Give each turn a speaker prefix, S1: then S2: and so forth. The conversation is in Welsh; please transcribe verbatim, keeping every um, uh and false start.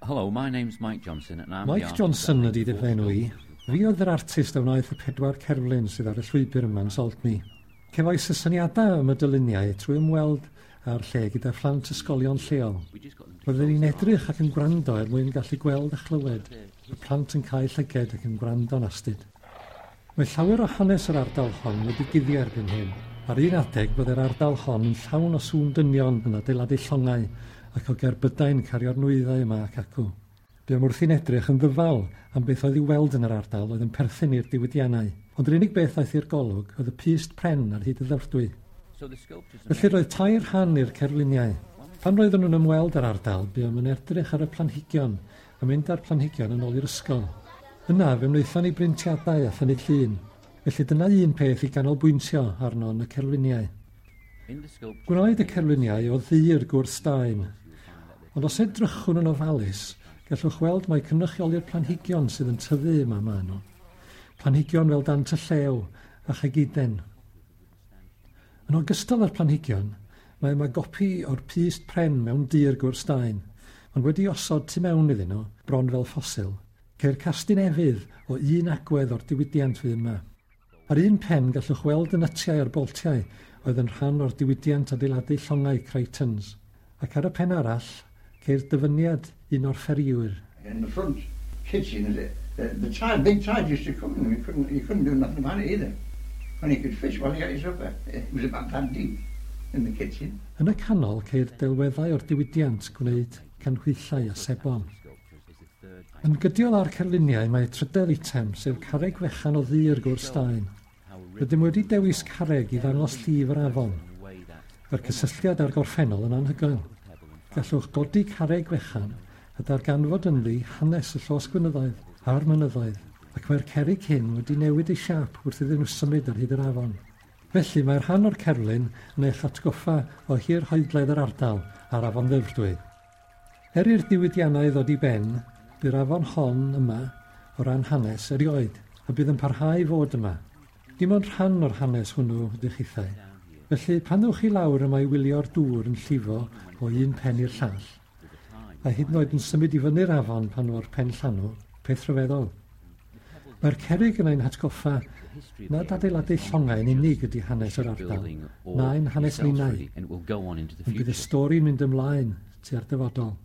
S1: Hello, my name's Mike Johnson and I'm the
S2: Mike
S1: artist
S2: Johnson
S1: that
S2: ydy
S1: made
S2: dy
S1: four
S2: fenw i.
S1: sculptures.
S2: Fi oedd yr artist a wnaeth y pedwar cerflun sydd ar y llwybr yma yn Saltney. Cefais y syniadau am y dyluniau trwy ymweld â'r lle gyda phlant ysgolion lleol.
S1: We just got them to
S2: Roedden
S1: close
S2: ni'n
S1: their
S2: edrych
S1: eyes.
S2: ac yn gwrando er mwyn gallu gweld a chlywed. Y plant yn cau llyged ac yn gwrando'n astud. Mae llawer o hanes yr ardal hon wedi guddio erbyn hyn. Ar un adeg byddai'r ardal hon yn llawn o sŵn dynion yn adeiladu llongau ac o gerbydau'n cario'r nwyddau yma ac acw. Buom wrthi'n edrych yn ddyfal am beth oedd i'w weld yn yr ardal oedd yn perthyn i'r diwydiannau. Ond yr unig beth aeth i'r golwg oedd y pyst pren ar hyd y ddyfrdwy.
S1: So the sculptures are
S2: Felly
S1: made
S2: roedd tair rhan i'r cerfluniau. Pan roedden nhw'n ymweld â'r ardal, buom yn edrych ar y planhigion a mynd â'r planhigion yn ôl i'r ysgol. Yna, fe wnaethon ni brintiadau a thynnu llun. Felly dyna un peth i ganolbwyntio arno yn y cerfluniau.
S1: In the sculptures
S2: Gwnaed y cerfluniau o ddur gwrthstaen. Ond os edrychwn yn ofalus, gallwch weld mai cynrychioli'r planhigion sydd yn tyfu yma maen nhw. Planhigion fel dant y llew a chegiden. Yn ogystal â'r planhigion, mae yma gopi o'r pyst pren mewn dur gwrthstaen, ond wedi osod tu mewn iddyn nhw, bron fel ffosil. Ceir castyn efydd o un agwedd o'r diwydiant fydd yma. Ar un pen gallwch weld y nytiau a'r boltiau oedd yn rhan o'r diwydiant adeiladu llongau Crichtons. Ac ar y pen arall, ceir dyfyniad un o'r fferïwyr.
S3: In the front kitchen, the, the, the tide, big tide used to come in. You couldn't, you couldn't do nothing about it either. When you could fish while you got your supper. It was about that deep in the kitchen.
S2: Yn y canol ceir delweddau o'r diwydiant gwneud canhwyllau a sebon. Yn gydiol â'r cerfluniau mae trydedd eitem, sef carreg fechan o ddur gwrthstaen. Rydym wedi dewis carreg i ddangos llif yr afon. Mae'r cysylltiad â'r gorffennol yn anhygoel. Gallwch godi carreg fechan a darganfod ynddi hanes y llosgfynyddoedd a'r mynyddoedd, ac mae'r cerrig hyn wedi newid eu siâp wrth iddyn nhw symud ar hyd yr afon. Felly mae'r rhan o'r cerflun yn eich atgoffa o hirhoedledd yr ardal a'r afon Ddyfrdwy. Er i'r diwydiannau ddod i ben, bu'r afon hon yma o ran hanes erioed, a bydd yn parhau i fod yma. Dim ond rhan o'r hanes hwnnw ydych chithau. Felly, pan ddewch chi lawr yma i wylio'r dŵr yn llifo o un pen i'r llall, a hyd yn oed yn symud i fyny'r afon pan fo'r pen llanw, peth rhyfeddol. Mae'r cerrig yn ein hatgoffa nad adeiladu llongau yn unig ydy hanes yr ardal, na'n hanes ninnau.
S1: And it will go on into the
S2: Ond bydd y
S1: future.
S2: stori'n mynd ymlaen tua'r dyfodol.